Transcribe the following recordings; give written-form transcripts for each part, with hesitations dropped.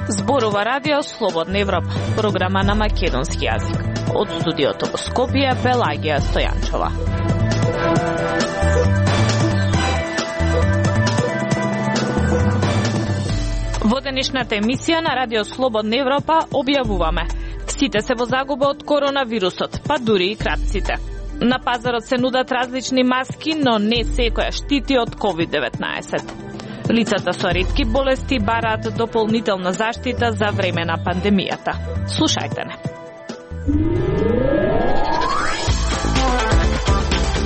Зборува Радио Слободна Европа, програма на македонски јазик. Од студиото во Скопје, Пелагија Стојанчова. Во денешната емисија на Радио Слободна Европа објавуваме: сите се во загуба од коронавирусот, па дури и кратците. На пазарот се нудат различни маски, но не секоја штити од COVID-19. Лицата со ретки болести бараат дополнителна заштита за време на пандемијата. Слушајте не.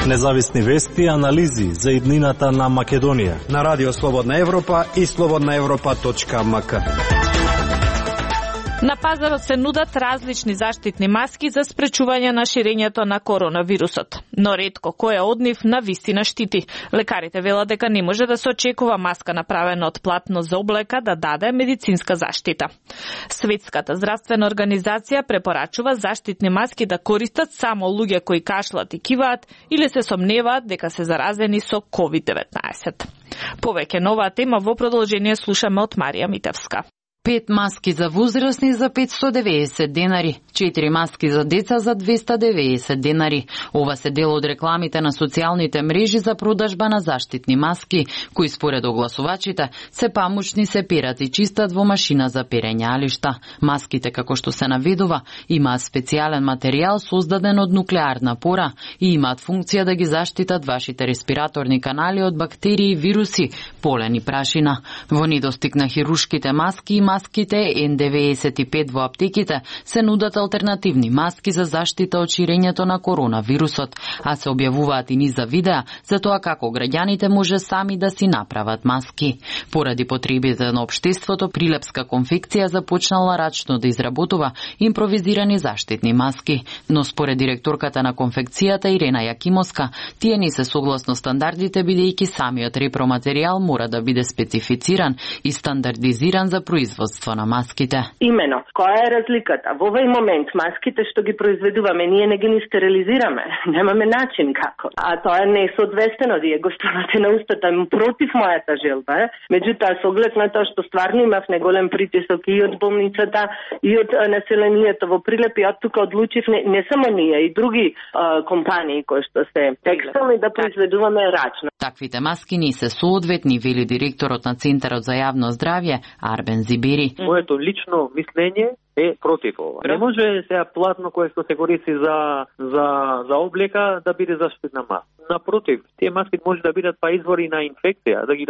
Независни вести и анализи за иднината на Македонија на Радио Слободна Европа и slobodnaevropa.mk. На пазарот се нудат различни заштитни маски за спречување на ширењето на коронавирусот, но ретко која од нив навистина штити. Лекарите велат дека не може да се очекува маска направена од платно за облека да даде медицинска заштита. Светската здравствена организација препорачува заштитни маски да користат само луѓе кои кашлат и киваат или се сомневаат дека се заразени со COVID-19. Повеќе на оваа тема во продолжение слушаме од Марија Митевска. 5 маски за возрастни за 590 денари, 4 маски за деца за 290 денари. Ова се дел од рекламите на социјалните мрежи за продажба на заштитни маски, кои според огласувачите се памучни, се перат и чистат во машина за перење алишта. Маските, како што се наведува, имаат специјален материјал создаден од нуклеарна пора и имаат функција да ги заштитат вашите респираторни канали од бактерии, вируси, полен и прашина. Во недостиг на хирушките маски и маските N95 во аптеките се нудат алтернативни маски за заштита од ширењето на коронавирусот, а се објавуваат и низ за видеа за тоа како граѓаните може сами да си направат маски. Поради потребите на општеството, Прилепска конфекција започнала рачно да изработува импровизирани заштитни маски, но според директорката на конфекцијата Ирена Јакимовска, тие не се согласно стандардите, бидејќи самиот репроматеријал мора да биде специфициран и стандардизиран за производство на маските. Имено, која е разликата? Во овој момент маските што ги произведуваме, ние не ги ни стерилизираме. Немаме начин како. А тоа не е соодветствено, вие го ставате на устата против мојата желба. Меѓутоа, со оглед на тоа што стварно имав неголем притисок и од болницата, и од населението во Прилеп, и од тука одлучив не само ние, и други компании кои што се текстилни да произведуваме рачно. Таквите маски не се соодветни, вели директорот на Центарот за јавно здравје Арбен Зибери. Моето лично мислење е против ова. Не може сега платно кое што се користи за облека да биде заштитна маска. Напротив, тие маски може да бидат па извори на инфекција, да ги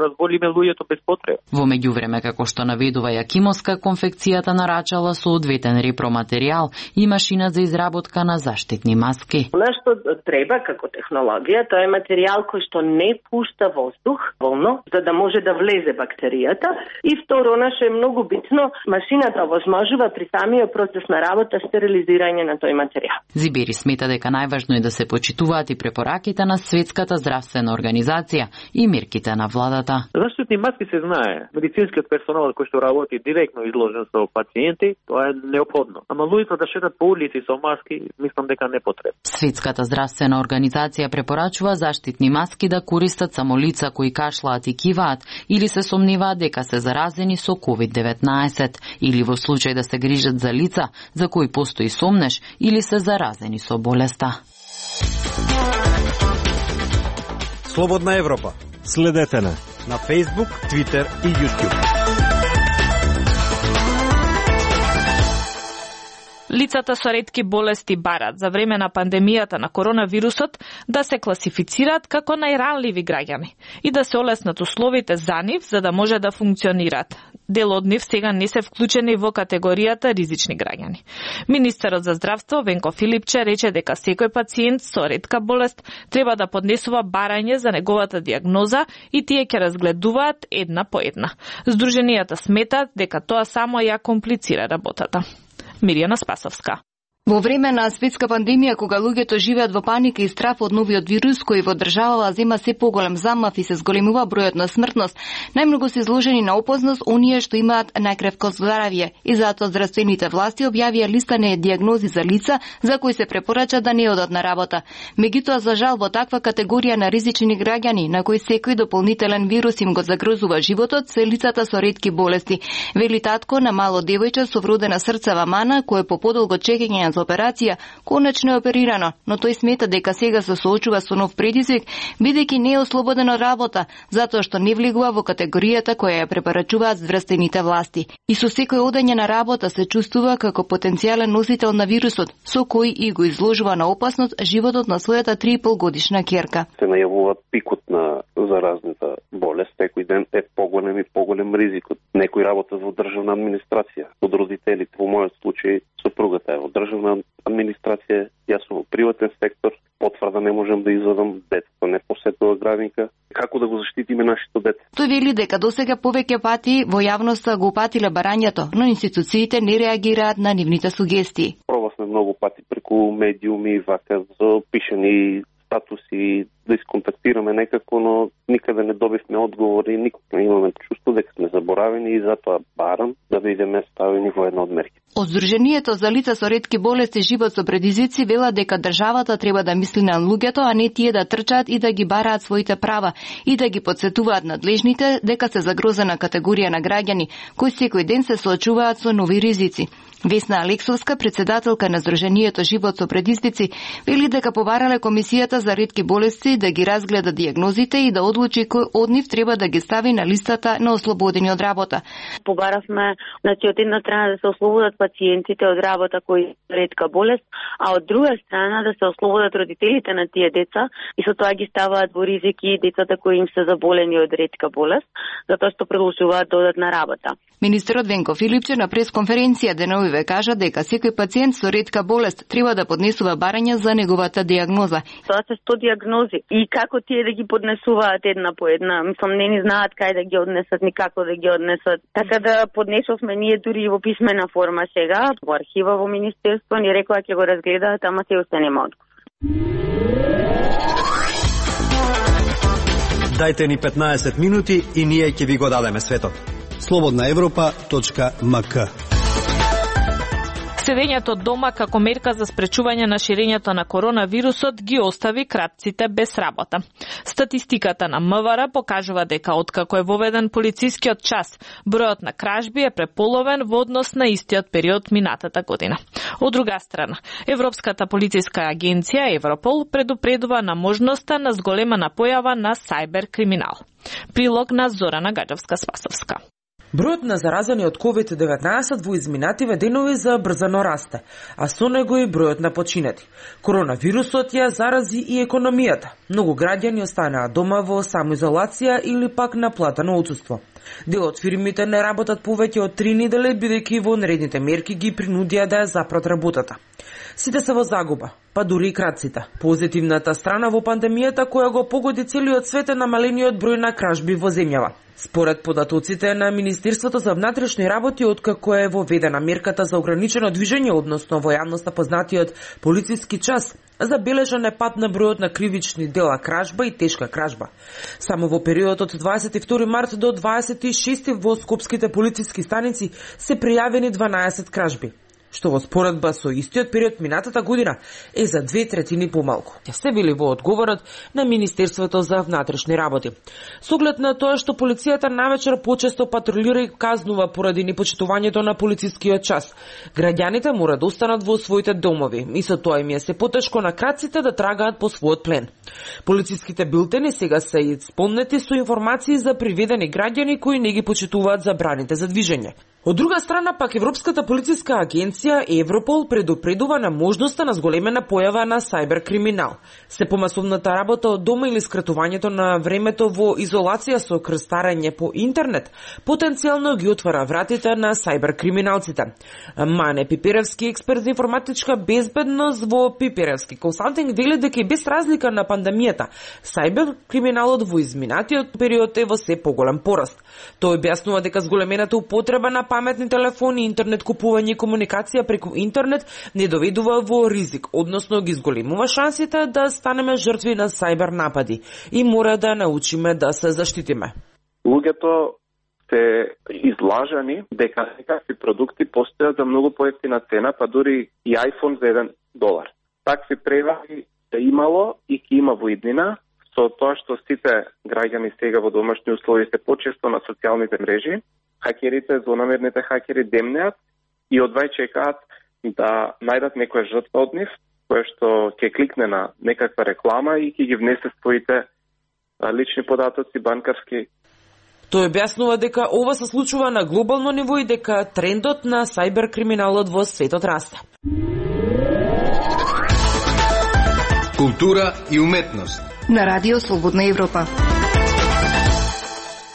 разболиме луѓето без потреба. Во меѓувреме, како што наведува Јакимовска, конфекцијата нарачала соодветен репроматеријал и машина за изработка на заштитни маски. Она што треба како технологија, тоа е материјал кој што не пушта воздух волно, за да може да влезе бактеријата. И второ, она што е многу битно, машината овозможува при самиот процес на работа стерилизирање на тој материјал. Зибери смета дека најважно е да се почитуваат и препораките на Светската здравствена организација и мерките на владата. Заштитни маски се знае. Медицинскиот персонал кој што работи директно изложен со пациенти, тоа е неопходно. Ама луѓето да шетат по улици со маски, мислам дека не потребно. Светската здравствена организација препорачува заштитни маски да користат само лица кои кашлаат и киваат или се сомневаат дека се заразени со COVID-19 или во случај да се грижат за лица за кои постои сомнеш или се заразени со болеста. Слободна Европа. Следете на Facebook, Twitter и YouTube. Лицата со ретки болести барат за време на пандемијата на коронавирусот да се класифицираат како најранливи граѓани и да се олеснат условите за нив за да може да функционираат. Дел од нив сега не се вклучени во категоријата ризични граѓани. Министерот за здравство Венко Филипче рече дека секој пациент со ретка болест треба да поднесува барање за неговата диагноза и тие ќе разгледуваат една по една. Здруженијата сметаат дека тоа само ја комплицира работата. Мирјана Спасовска. Во време на светска пандемија, кога луѓето живеат во паника и страф од новиот вирус кој во државава зема се поголем замав и се зголемува бројот на смртност, најмногу се изложени на опасност оние што имаат најкревко здравје. И затоа здравствените власти објавија листа на дијагнози за лица за кои се препорача да не одат на работа. Меѓутоа, за жал, во таква категорија на ризични граѓани, на кои секој дополнителен вирус им го загрозува животот, се лицата со ретки болести. Вели татко на мало девојче со вродена срцева мана, кој по подолго чекање за операција конечно е оперирано, но тој смета дека сега се соочува со нов предизвик, бидејќи не е ослободен од работа, затоа што не влегува во категоријата која ја препорачуваат здравствените власти. И со секој одење на работа се чувствува како потенцијален носител на вирусот, со кој и го изложува на опасност животот на својата 3,5 годишна ќерка. Се најавува пикот на заразната болест, секој ден е поголем и поголем ризикот. Некој работа во државна администрација, од родителите, во мојот случај сопругата е во државна администрација, јас сум во приватен сектор, потврда не можам да извадам, детето не посетува градинка. Како да го заштитиме нашето дете? Тој вели дека досега повеќе пати во јавноста го упатиле барањето, но институциите не реагираат на нивните сугестии. Пробавме многу пати преку медиуми, вака за пишани статуси, да исконтактираме некако, но никаде не добивме одговори, никога не имаме чувство дека сме заборавени и затоа барам да бидеме ставени во една од мерки. Од Сдруженијето за лица со ретки болести живот со предизвици вела дека државата треба да мисли на луѓето, а не тие да трчаат и да ги бараат своите права и да ги потсетуваат надлежните дека се загрозена категорија на граѓани кои секој ден се соочуваат со нови ризици. Весна Алексовска, председателка на Сдруженијето Живот со предизвици, вели дека побарале Комисијата за ретки болести да ги разгледа дијагнозите и да одлучи кој од нив треба да ги стави на листата на ослободени од работа. Побаравме, значи, од една страна да се ослободат пациентите од работа кои ретка болест, а од друга страна да се ослободат родителите на тие деца и со тоа ги ставаат во ризики децата кои им се заболени од ретка болест, затоа што продолжуваат да одат на работа. Министерот Венко Филипче на пресконференција деновиве кажа дека секој пациент со ретка болест треба да поднесува барање за неговата дијагноза. Тоа се 100 дијагнози и како тие да ги поднесуваат една по една, мислам не ни знаат кај да ги однесат ни како да ги однесат. Така да поднесовме ние дури во писмена форма сега во архива во министерство, ни рекоа ќе го разгледаат, ама се уште нема одговор. Дајте ни 15 минути и ние ќе ви го дадеме светот. slobodnaevropa.mk. Седењето дома како мерка за спречување на ширењето на коронавирусот ги остави кратците без работа. Статистиката на МВР покажува дека откако е воведен полицискиот час, бројот на кражби е преполовен во однос на истиот период минатата година. Од друга страна, Европската полициска агенција Европол предупредува на можноста на зголемена појава на сајбер криминал. Прилог на Зорана Гаджевска-Спасовска. Бројот на заразени од COVID-19 во изминативе денови забрзано расте, а со него и бројот на починати. Коронавирусот ја зарази и економијата. Многу граѓани останаа дома во самоизолација или пак на платено отсуство. Дел од фирмите не работат повеќе од 3 недели, бидејќи во наредните мерки ги принудија да ја запрат работата. Сите се во загуба, па дури и кратците. Позитивната страна во пандемијата која го погоди целиот свет е намалениот број на кражби во земјава. Според податоците на Министерството за внатрешни работи, откако е воведена мерката за ограничено движење, односно во јавноста познатиот полициски час, забележан е пат на бројот на кривични дела кражба и тешка кражба. Само во периодот од 22 март до 26 во скопските полициски станици се пријавени 12 кражби, што во споредба со истиот период минатата година е за 2/3 помалку. Ќе се вели во одговорот на Министерството за внатрешни работи. Со оглед на тоа што полицијата навечер почесто патрулира и казнува поради непочитувањето на полицискиот час, граѓаните мора да останат во своите домови и со тоа им е се потешко на краците да трагаат по својот плен. Полициските билтени сега се исполнети со информации за приведени граѓани кои не ги почитуваат забраните за движење. Од друга страна, пак Европската полициска агенција Европол предупредува на можноста на зголемена појава на сајбер криминал. Се помасовната работа од дома или скратувањето на времето во изолација со крстарење по интернет потенцијално ги отвара вратите на сајбер криминалците. Мане Пиперевски, експерт за информатичка безбедност во Пиперевски консалтинг, вели дека и без разлика на пандемијата, сајбер криминалот во изминатиот период е во се поголем пораст. Тој објаснува дека зголемената употреба на паметни телефони, интернет купување и комуникација преку интернет не доведува во ризик, односно ги зголемува шансите да станеме жртви на сајбер напади и мора да научиме да се заштитиме. Луѓето се излажани дека некакви продукти постојат за многу поевтина цена, па дури и iPhone за $1. Такви превари се имало и ќе има во иднина, со тоа што сите граѓани сега во домашни услови се почесто на социјалните мрежи, хакерите, злонамерните хакери демнеат и одвај чекаат да најдат некоја жртва од нив, која што ќе кликне на некаква реклама и ќе ги внесе своите лични податоци, банкарски. Тој објаснува дека ова се случува на глобално ниво и дека трендот на сајбер криминалот во светот расте. Култура и уметност на Радио Слободна Европа.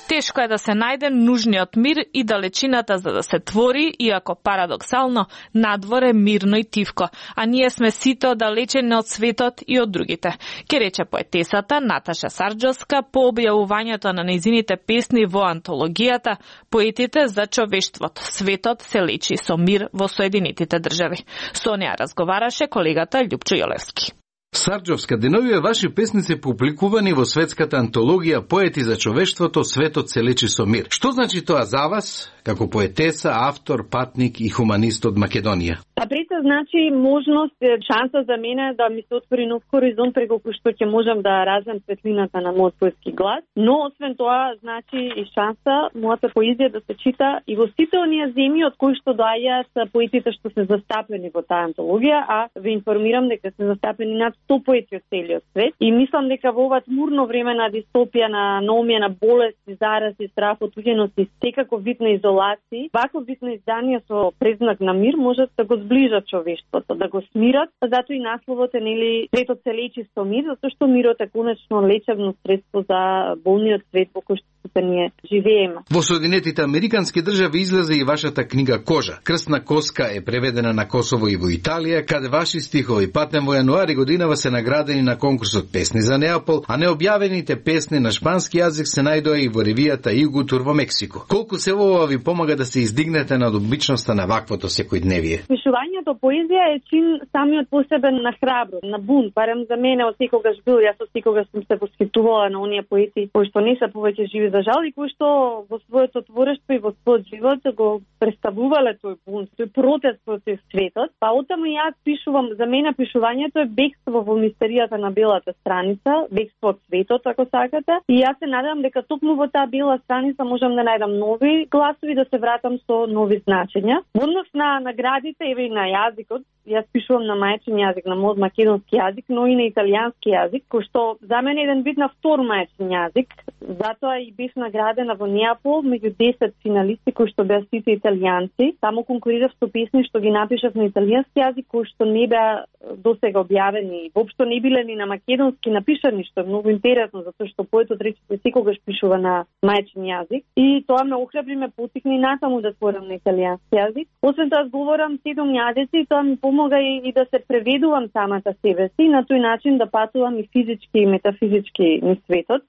Тешко е да се најде нужниот мир и далечината за да се твори, иако парадоксално, надвор е мирно и тивко, а ние сме сите оддалечени од светот и од другите. Ке рече поетесата Наташа Сарджовска по објавувањето на нејзините песни во антологијата Поетите за човештвото. Светот се лечи со мир во Соединетите држави. Со неа разговараше колегата Љупчо Јолевски. Сарджовска, деновиве ваши песни се публикувани во светската антологија Поети за човештвото, светот се лечи со мир. Што значи тоа за вас, како поетеса, автор, патник и хуманист од Македонија? Пред значи можност, шанса за мене да ми се отвори нов хоризонт преку кој што ќе можам да развијам светлината на мојот поетски глас, но освен тоа значи и шанса мојата поезија да се чита и во сите оние земји од кои што доаѓаат поетите што се застапени во таа антологија, а ве информирам дека се застапени над 100 поети од целиот свет и мислам дека во ова тмурно време на дистопија, на наумија, на болести, зарази, страф, отуѓеност и секако вид на изолација, ваков вид на издание со презнак на мир можат да го зближат човештвото, да го смират, затоа и насловот е нели светот се лечи со мир, затоа што мирот е конечно лечебно средство за болниот свет во кој што ние живееме. Во Соединетите Американски држави излезе и вашата книга Кожа. Крстна коска е преведена на Косово и во Италија, каде ваши стихови патнем во јануари годинава се наградени на конкурсот Песни за Неапол, а необјавените песни на шпански јазик се најдоа и во ревијата Игутур во Мексико. Колку се ова ви помага да се издигнете над обичноста на ваквото секојдневие? Пишувањето поезија е чин самиот посебен на храброст, на бунт, барем за мене од секогаш бил, јас од секогаш сум се восхитувала на оние поети кои што не се повеќе живи за жал и кои што во своето творештво и во својот живот го представувале тој бунт, тој протест против светот. Па оттаму јас пишувам, за мене пишувањето е бегство во мистеријата на белата страница, бегство од светот, ако сакате. И јас се надевам дека токму во таа бела страница можам да најдам нови гласови, да се вратам со нови значења. Во однос на наградите и на јазикот, јас пишувам на мајчин јазик, на мојот македонски јазик, но и на италијански јазик, кој што за мене е еден вид на втор мајчин јазик. Затоа и бев наградена во Неапол меѓу 10 финалисти кои што беа сите италијанци. Таму конкурирав со песни што ги напишав на италијански јазик, кои што не беа досега објавени, воопшто не биле ни на македонски напишани, што е многу интересно, затоа што поетот речиси секогаш пишува на мајчин јазик. И тоа ме охрабри, ме потикни натаму да творам на италијански јазик. Освен тоа зборам 7 јазици и тоа ми помога и да се преведувам самата себе си, на тој начин да патувам и физички и метафизички низ светот.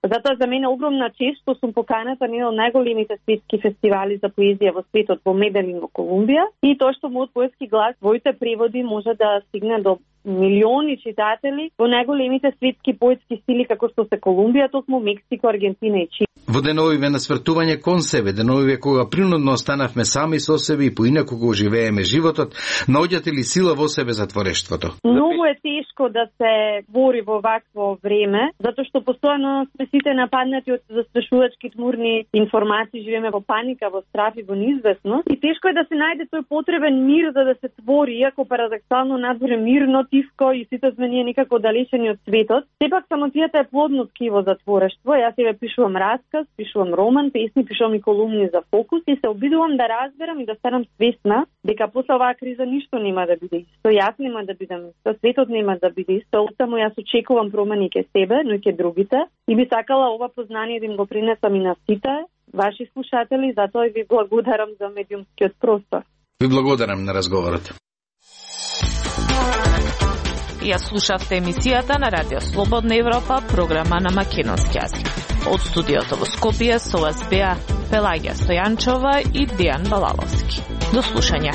Затоа за мене огромна чест што сум поканата на еден од најголемите светски фестивали за поезија во светот во Меделин во Колумбија и тоа што мојот поетски глас, своите преводи може да стигне до милиони читатели во најголемите светски поетски стили како што се Колумбија, токму Мексико, Аргентина и Чили. Во деновиве на свртување кон себе, деновиве кога принудно останавме сами со себе и поинаку го живееме животот, наоѓате ли сила во себе за творештвото? Многу е тешко да се бори во вакво време, затоа што постојано сме сите нападнати од застрашувачки тмурни информации, живееме во паника, во страф и во неизвестност. И тешко е да се најде тој потребен мир за да се твори, иако парадоксално надвор е мирно, тивко и сите сме ние некако далечени од светот. Сепак самотијата е плодно ткиво за творештво. Јас себе пишувам расказ, пишувам роман, песни, пишувам и колумни за Фокус и се обидувам да разберам и да станам свесна дека после оваа криза ништо нема да биде исто. Јас нема да бидам исто, светот нема да биде исто. Оттаму јас очекувам промени ке себе, но и ке другите. И би сакала ова познание да им го принесам и на сите ваши слушатели, затоа ви благодарам за медиумскиот простор. Ви благодарам на разговорот. Ја слушавте емисијата на Радио Слободна Европа, програма на македонски јазик. Од студиото во Скопје со вас беа Пелагија Стојанчова и Дијан Балаловски. До слушање.